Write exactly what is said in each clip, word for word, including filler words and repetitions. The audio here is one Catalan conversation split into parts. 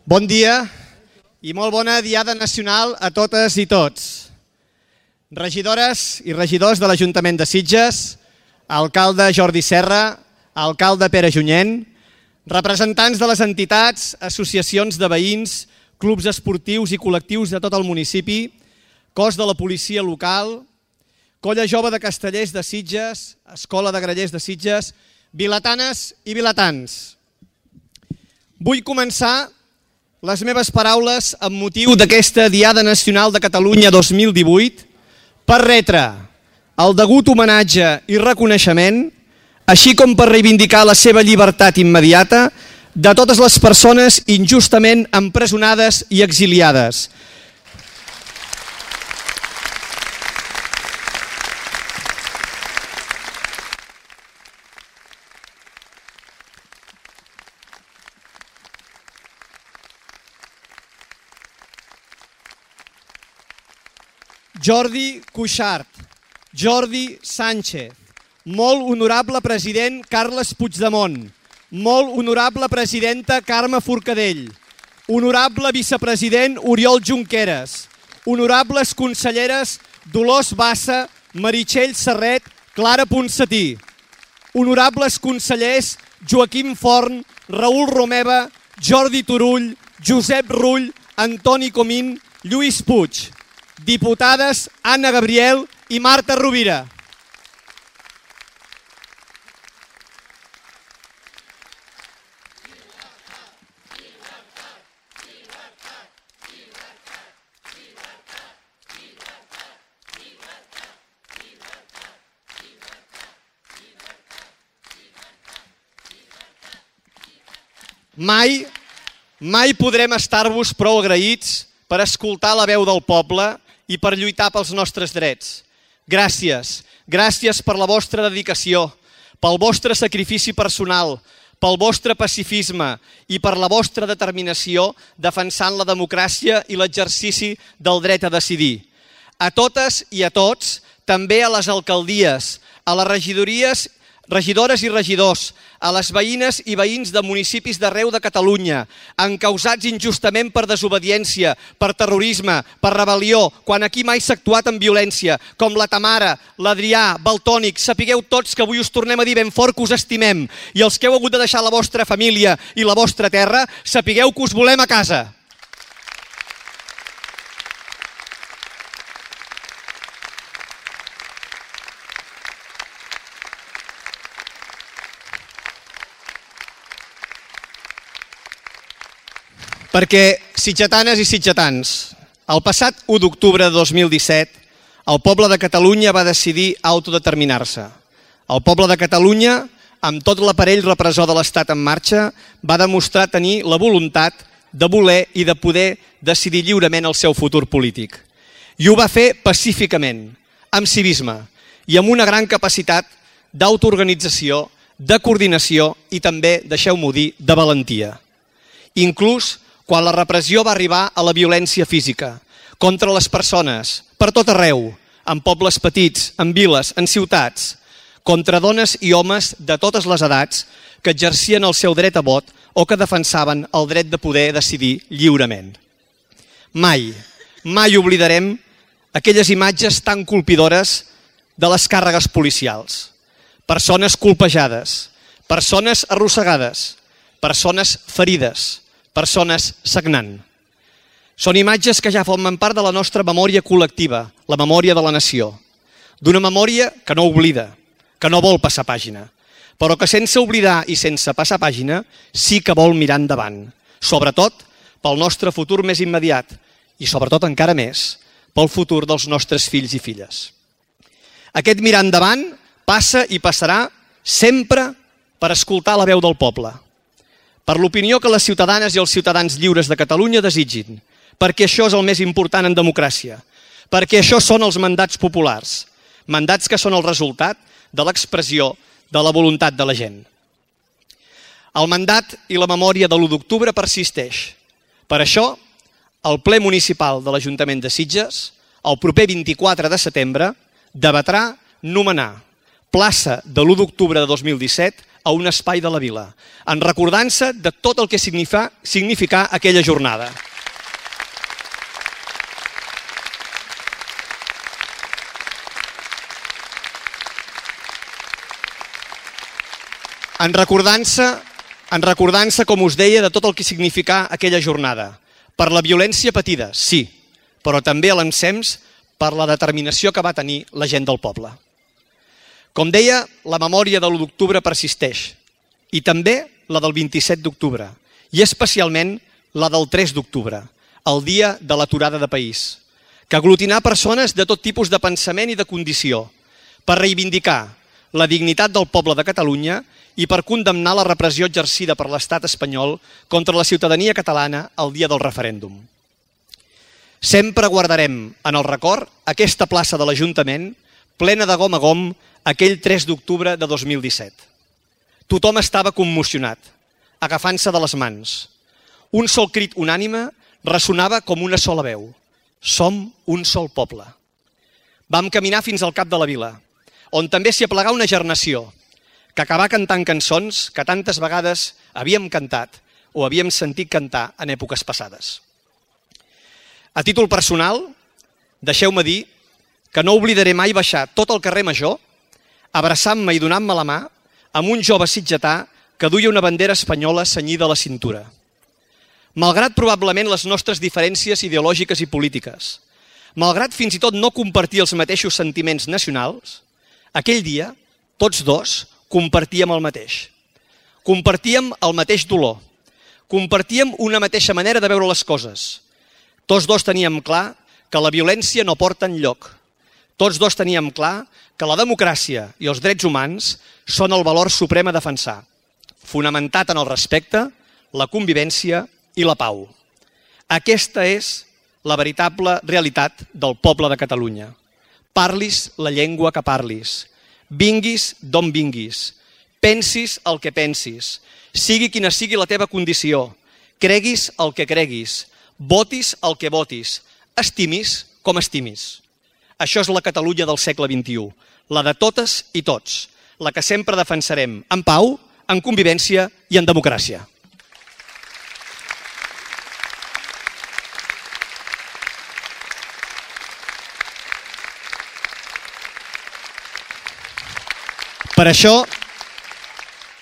Bon dia i molt bona Diada Nacional a totes i tots. Regidores i regidors de l'Ajuntament de Sitges, alcalde Jordi Serra, alcalde Pere Junyent, representants de les entitats, associacions de veïns, clubs esportius i col·lectius de tot el municipi, cos de la policia local, Colla Jove de Castellers de Sitges, Escola de Grallers de Sitges, vilatanes i vilatans. Vull començar les meves paraules amb motiu d'aquesta Diada Nacional de Catalunya dos mil divuit per retre el degut homenatge i reconeixement, així com per reivindicar la seva llibertat immediata de totes les persones injustament empresonades i exiliades. Jordi Cuixart, Jordi Sánchez, molt honorable president Carles Puigdemont, molt honorable presidenta Carme Forcadell, honorable vicepresident Oriol Junqueras, honorables conselleres Dolors Bassa, Meritxell Serret, Clara Ponsatí, honorables consellers Joaquim Forn, Raül Romeva, Jordi Turull, Josep Rull, Antoni Comín, Lluís Puig, diputades Anna Gabriel i Marta Rovira. Mai, mai podrem estar-vos prou agraïts per escoltar la veu del poble i per lluitar pels nostres drets. Gràcies, gràcies per la vostra dedicació, pel vostre sacrifici personal, pel vostre pacifisme i per la vostra determinació defensant la democràcia i l'exercici del dret a decidir. A totes i a tots, també a les alcaldies, a les regidories, regidores i regidors, a les veïnes i veïns de municipis d'arreu de Catalunya, encausats injustament per desobediència, per terrorisme, per rebel·lió, quan aquí mai s'ha actuat amb violència, com la Tamara, l'Adrià, Valtònic, sapigueu tots que avui us tornem a dir ben fort que us estimem, i els que heu hagut de deixar la vostra família i la vostra terra, sapigueu que us volem a casa. Perquè, sitgetanes i sitgetans, el passat u d'octubre de dos mil disset, el poble de Catalunya va decidir autodeterminar-se. El poble de Catalunya, amb tot l'aparell repressor de l'Estat en marxa, va demostrar tenir la voluntat de voler i de poder decidir lliurement el seu futur polític. I ho va fer pacíficament, amb civisme i amb una gran capacitat d'autoorganització, de coordinació i també, deixeu-m'ho dir, de valentia. Inclús quan la repressió va arribar a la violència física, contra les persones, per tot arreu, en pobles petits, en viles, en ciutats, contra dones i homes de totes les edats que exercien el seu dret a vot o que defensaven el dret de poder decidir lliurement. Mai, mai oblidarem aquelles imatges tan colpidores de les càrregues policials. Persones colpejades, persones arrossegades, persones ferides, persones sagnant. Són imatges que ja formen part de la nostra memòria col·lectiva, la memòria de la nació. D'una memòria que no oblida, que no vol passar pàgina, però que sense oblidar i sense passar pàgina sí que vol mirar endavant, sobretot pel nostre futur més immediat i sobretot encara més pel futur dels nostres fills i filles. Aquest mirar endavant passa i passarà sempre per escoltar la veu del poble, per l'opinió que les ciutadanes i els ciutadans lliures de Catalunya desitgin, perquè això és el més important en democràcia, perquè això són els mandats populars, mandats que són el resultat de l'expressió de la voluntat de la gent. El mandat i la memòria de l'u d'octubre persisteix. Per això, el ple municipal de l'Ajuntament de Sitges, el proper vint-i-quatre de setembre, debatrà nomenar plaça de l'u d'octubre de dos mil disset a un espai de la vila, en recordança de tot el que significa, significà aquella jornada. En recordança, en recordança, com us deia, de tot el que significà aquella jornada. Per la violència patida, sí, però també a l'ensems per la determinació que va tenir la gent del poble. Com deia, la memòria de l'u d'octubre persisteix, i també la del vint-i-set d'octubre, i especialment la del tres d'octubre, el dia de l'aturada de país, que aglutinà persones de tot tipus de pensament i de condició, per reivindicar la dignitat del poble de Catalunya i per condemnar la repressió exercida per l'estat espanyol contra la ciutadania catalana el dia del referèndum. Sempre guardarem en el record aquesta plaça de l'Ajuntament plena de gom a gom aquell tres d'octubre de dos mil disset. Tothom estava commocionat, agafant-se de les mans. Un sol crit unànime ressonava com una sola veu. Som un sol poble. Vam caminar fins al cap de la vila, on també s'hi aplegà una gernació, que acabà cantant cançons que tantes vegades havíem cantat o havíem sentit cantar en èpoques passades. A títol personal, deixeu-me dir que no oblidaré mai baixar tot el carrer Major, abraçant-me i donant-me la mà amb un jove sitgetà que duia una bandera espanyola cenyida a la cintura. Malgrat probablement les nostres diferències ideològiques i polítiques, malgrat fins i tot no compartir els mateixos sentiments nacionals, aquell dia, tots dos, compartíem el mateix. Compartíem el mateix dolor. Compartíem una mateixa manera de veure les coses. Tots dos teníem clar que la violència no porta enlloc. Tots dos teníem clar que la democràcia i els drets humans són el valor suprem a defensar, fonamentat en el respecte, la convivència i la pau. Aquesta és la veritable realitat del poble de Catalunya. Parlis la llengua que parlis, vinguis d'on vinguis, pensis el que pensis, sigui quina sigui la teva condició, creguis el que creguis, votis el que votis, estimis com estimis. Això és la Catalunya del segle vint-i-u, la de totes i tots, la que sempre defensarem en pau, en convivència i en democràcia. Per això,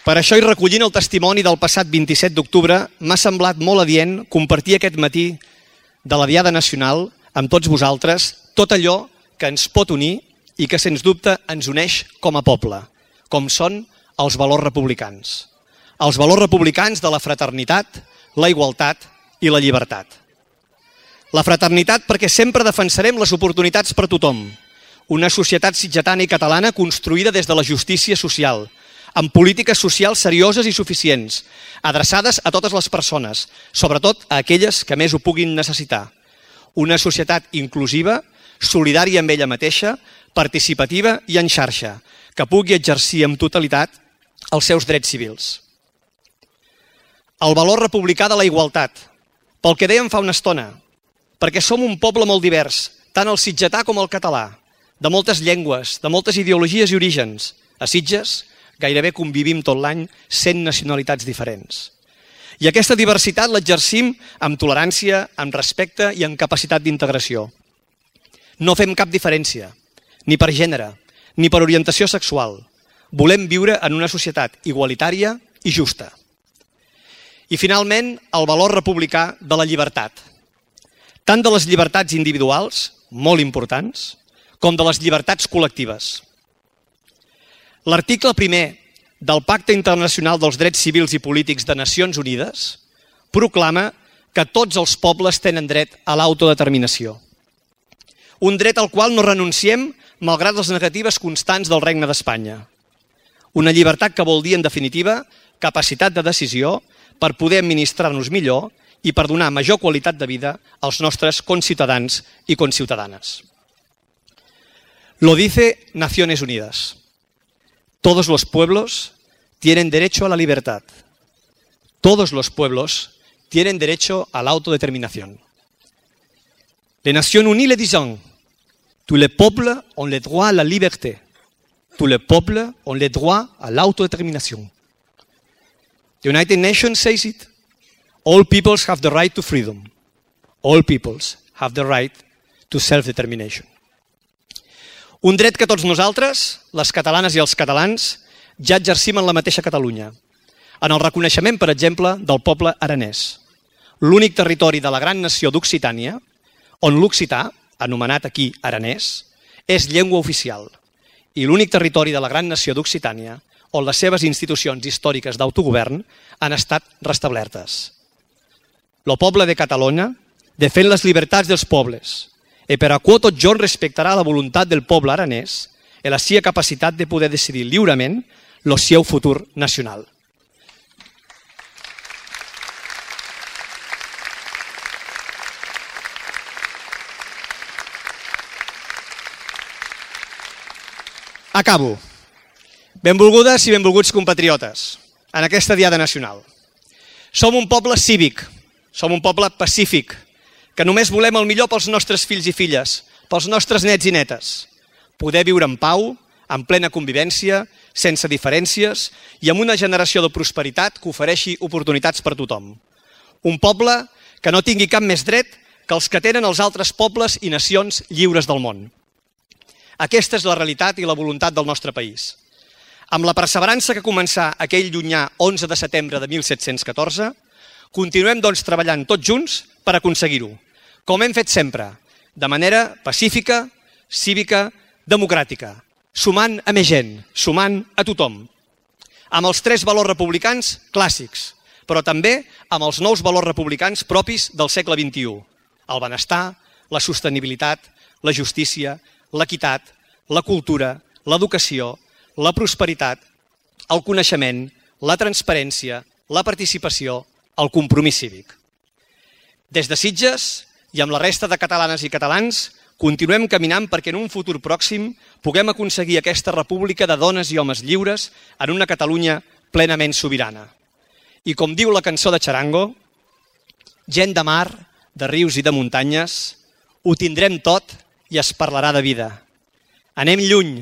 per això i recollint el testimoni del passat vint-i-set d'octubre, m'ha semblat molt adient compartir aquest matí de la Diada Nacional amb tots vosaltres tot allò que ens pot unir i que, sens dubte, ens uneix com a poble, com són els valors republicans. Els valors republicans de la fraternitat, la igualtat i la llibertat. La fraternitat perquè sempre defensarem les oportunitats per tothom, una societat sitgetana i catalana construïda des de la justícia social, amb polítiques socials serioses i suficients, adreçades a totes les persones, sobretot a aquelles que més ho puguin necessitar. Una societat inclusiva, solidària amb ella mateixa, participativa i en xarxa, que pugui exercir amb totalitat els seus drets civils. El valor republicà de la igualtat, pel que dèiem fa una estona, perquè som un poble molt divers, tant el sitgetà com el català, de moltes llengües, de moltes ideologies i orígens. A Sitges gairebé convivim tot l'any cent nacionalitats diferents. I aquesta diversitat l'exercim amb tolerància, amb respecte i amb capacitat d'integració. No fem cap diferència, ni per gènere, ni per orientació sexual. Volem viure en una societat igualitària i justa. I finalment, el valor republicà de la llibertat. Tant de les llibertats individuals, molt importants, com de les llibertats col·lectives. L'article primer del Pacte Internacional dels Drets Civils i Polítics de Nacions Unides proclama que tots els pobles tenen dret a l'autodeterminació. Un dret al qual no renunciem malgrat les negatives constants del Regne d'Espanya. Una llibertat que vol dir, en definitiva, capacitat de decisió per poder administrar-nos millor i per donar major qualitat de vida als nostres conciutadans i conciutadanes. Lo dice Naciones Unidas. Todos los pueblos tienen derecho a la libertad. Todos los pueblos tienen derecho a la autodeterminación. Les Nations Unies le disent, tous les peuples ont le droit à la liberté. tous les peuples ont le droit à l'autodétermination. The United Nations says it. All peoples have the right to freedom. All peoples have the right to self-determination. Un dret que tots nosaltres, les catalanes i els catalans, ja exercim en la mateixa Catalunya, en el reconeixement, per exemple, del poble aranès, l'únic territori de la gran nació d'Occitània on l'occità, anomenat aquí aranès, és llengua oficial, i l'únic territori de la gran nació d'Occitània on les seves institucions històriques d'autogovern han estat restablertes. El poble de Catalunya defèn les llibertats dels pobles i per a quo tot jorn respectarà la voluntat del poble aranès i la seva capacitat de poder decidir lliurement el seu futur nacional. Acabo. Benvolgudes i benvolguts compatriotes en aquesta Diada Nacional. Som un poble cívic, som un poble pacífic, que només volem el millor pels nostres fills i filles, pels nostres nets i netes. Poder viure en pau, en plena convivència, sense diferències i amb una generació de prosperitat que ofereixi oportunitats per a tothom. Un poble que no tingui cap més dret que els que tenen els altres pobles i nacions lliures del món. Aquesta és la realitat i la voluntat del nostre país. Amb la perseverança que començà aquell llunyà onze de setembre de mil set-cents catorze, continuem doncs treballant tots junts per aconseguir-ho, com hem fet sempre, de manera pacífica, cívica, democràtica, sumant a més gent, sumant a tothom, amb els tres valors republicans clàssics, però també amb els nous valors republicans propis del segle vint-i-u, el benestar, la sostenibilitat, la justícia, l'equitat, la cultura, l'educació, la prosperitat, el coneixement, la transparència, la participació, el compromís cívic. Des de Sitges i amb la resta de catalanes i catalans continuem caminant perquè en un futur pròxim puguem aconseguir aquesta república de dones i homes lliures en una Catalunya plenament sobirana. I com diu la cançó de Charango, gent de mar, de rius i de muntanyes, ho tindrem tot i es parlarà de vida. Anem lluny,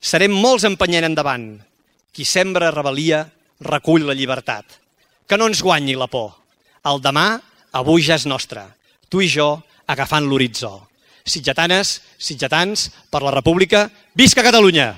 serem molts empenyent endavant. Qui sembra rebel·lia recull la llibertat. Que no ens guanyi la por. El demà avui ja és nostre. Tu i jo agafant l'horitzó. Sitgetanes, sitgetans, per la República, visca Catalunya!